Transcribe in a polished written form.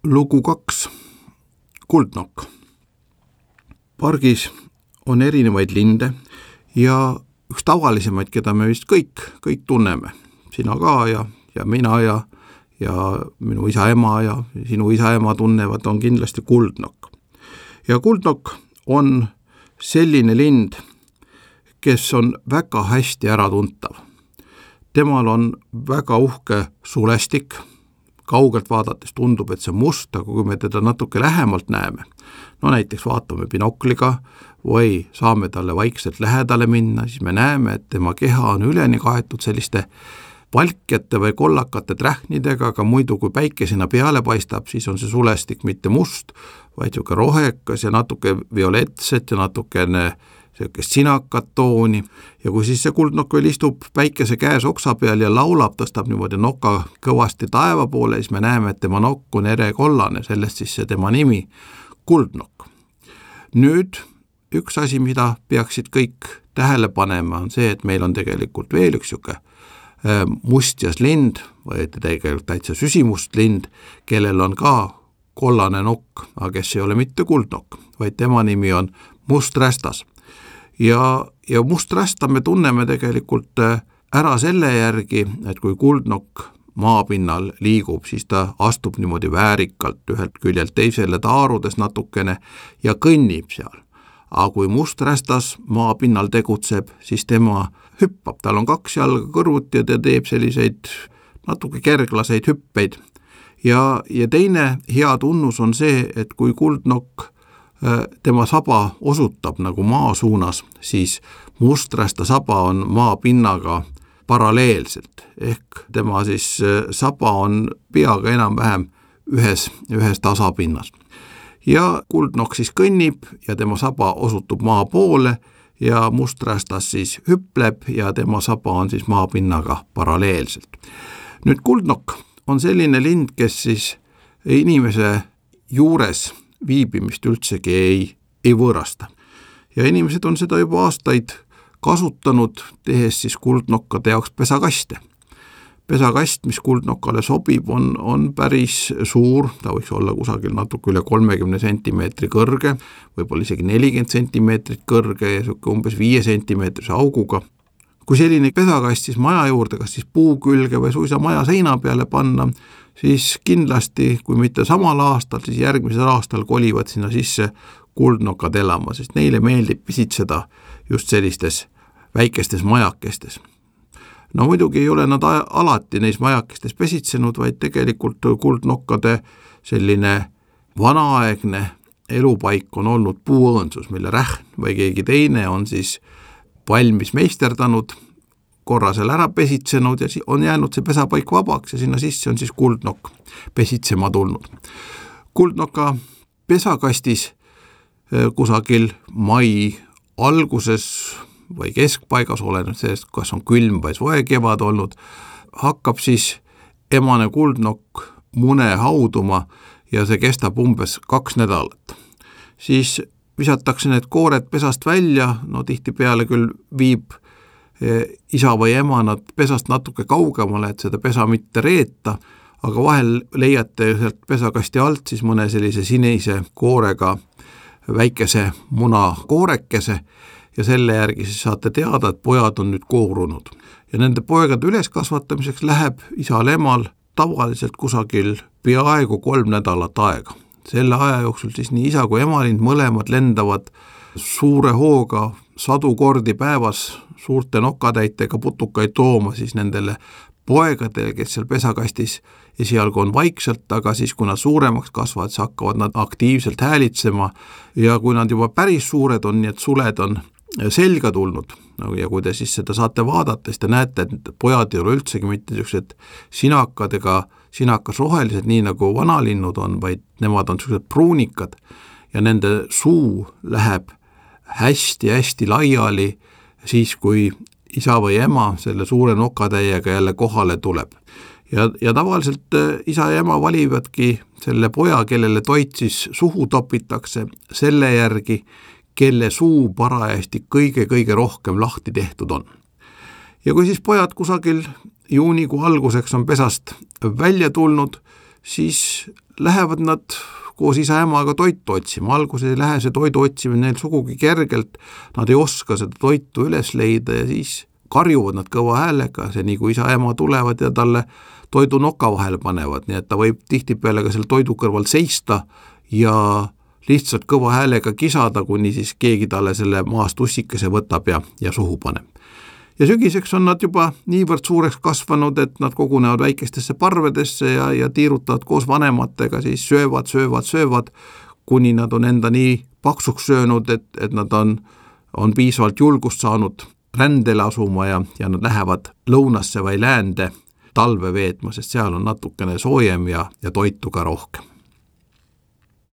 Lugu 2. Kuldnokk. Pargis on erinevaid linde ja üks tavalisemaid, keda me vist kõik tunneme. Sina ka ja mina ja minu isa-ema ja sinu isa-ema tunnevad, on kindlasti kuldnokk. Ja kuldnokk on selline lind, kes on väga hästi äratuntav. Temal on väga uhke sulestik. Kaugelt vaadates tundub, et see must, aga kui me teda natuke lähemalt näeme, no näiteks vaatame binokliga või saame talle vaikselt lähedale minna, siis me näeme, et tema keha on üleni kaetud selliste valkjate või kollakate trähnidega, aga muidu kui päike sinna peale paistab, siis on see sulestik mitte must, vaid siuke rohekas ja natuke violetset ja natukene sellisest sinakat tooni. Ja kui siis see kuldnokk veel istub päikese käes oksa peal ja laulab, tõstab niimoodi noka kõvasti taeva poole, siis me näeme, et tema nokk on erekollane, sellest siis see tema nimi kuldnokk. Nüüd üks asi, mida peaksid kõik tähele panema, on see, et meil on tegelikult veel üks siuke mustjas lind või tegelikult täitsa süsimust lind, kellel on ka kollane nokk, aga kes ei ole mitte kuldnokk, vaid tema nimi on musträstas. Ja musträsta me tunneme tegelikult ära selle järgi, et kui kuldnokk maapinnal liigub, siis ta astub niimoodi väärikalt ühelt küljelt teisele taarudes natukene ja kõnnib seal. Aga kui musträstas maapinnal tegutseb, siis tema hüppab, tal on 2 jalga kõrvuti ja ta teeb selliseid natuke kerglaseid hüppeid. Ja teine hea tunnus on see, et kui kuldnokk tema saba osutab nagu maa suunas, siis musträsta saba on maapinnaga paralleelselt, ehk tema siis saba on peaga enam-vähem ühes tasapinnas. Ja kuldnokk siis kõnnib ja tema saba osutub maa poole ja musträstas siis hüpleb ja tema saba on siis maapinnaga paralleelselt. Nüüd kuldnokk on selline lind, kes siis inimese juures viibimist üldsegi ei võõrasta. Ja inimesed on seda juba aastaid kasutanud, tehes siis kuldnokkade jaoks pesakaste. Pesakast, mis kuldnokkale sobib, on päris suur, ta võiks olla kusagil natuke üle 30 sentimeetri kõrge, võib-olla isegi 40 sentimeetrit kõrge ja umbes 5 sentimeetrise auguga. Kui selline pesakast siis maja juurde, kas siis puu külge või suisa maja seina peale panna, siis kindlasti, kui mitte samal aastal, siis järgmisel aastal kolivad sinna sisse kuldnokad elama, sest neile meeldib pisitseda just sellistes väikestes majakestes. No muidugi ei ole nad alati neis majakestes pesitsenud, vaid tegelikult kuldnokkade selline vanaaegne elupaik on olnud puuõõnsus, mille rähn või keegi teine on siis valmis meisterdanud, korra seal ära pesitsenud ja on jäänud see pesapaik vabaks ja sinna sisse on siis kuldnokk pesitsema tulnud. Kuldnoka pesakastis kusagil mai alguses või keskpaigas, oleneb sellest, kas on külm või soe kevad olnud, hakkab siis emane kuldnokk mune hauduma ja see kestab umbes 2 nädalat. Siis visatakse need koored pesast välja, no tihtipeale küll viib isa või ema nad pesast natuke kaugemale, et seda pesa mitte reeta, aga vahel leiate sealt pesakasti alt siis mõne sellise sinise koorega väikese muna koorekese ja selle järgi siis saate teada, et pojad on nüüd koorunud. Ja nende poegade üleskasvatamiseks läheb isal-emal tavaliselt kusagil peaaegu 3 nädalat aega. Selle aja jooksul siis nii isa kui emalind mõlemad lendavad suure hooga 100 kordi päevas suurte nokatäitega putukaid tooma siis nendele poegadele, kes seal pesakastis esialgu on vaikselt, aga siis kui nad suuremaks kasvavad, siis hakkavad nad aktiivselt häälitsema ja kui nad juba päris suured on, nii et suled on selga tulnud ja kui te siis seda saate vaadata, siis te näete, et pojad ei ole üldsegi mitte niisugused sinakad ega sinakas rohelised, nii nagu vanalinnud on, vaid nemad on niisugused pruunikad ja nende suu läheb hästi-hästi laiali siis, kui isa või ema selle suure nokatäiega jälle kohale tuleb. Ja tavaliselt isa ja ema valivadki selle poja, kellele toit siis suhu topitakse, selle järgi, kelle suu parajasti kõige rohkem lahti tehtud on. Ja kui siis pojad kusagil juunikuu alguseks on pesast välja tulnud, siis lähevad nad koos isa-emaga toitu otsima. Alguses ei lähe see toidu otsimine neil sugugi kergelt, nad ei oska seda toitu üles leida ja siis karjuvad nad kõva häälega, see nii kui isa-ema tulevad ja talle toidu noka vahele panevad, nii et ta võib tihtipeale ka selle toidu kõrval seista ja lihtsalt kõva häälega kisada, kuni siis keegi talle selle maast ussikese võtab ja suhu paneb. Ja sügiseks on nad juba niivõrd suureks kasvanud, et nad kogunevad väikestesse parvedesse ja tiirutavad koos vanematega, siis söövad, kuni nad on enda nii paksuks söönud, et nad on piisavalt julgust saanud rändele asuma ja nad lähevad lõunasse või läände talve veetma, sest seal on natukene soojem ja toitu ka rohkem.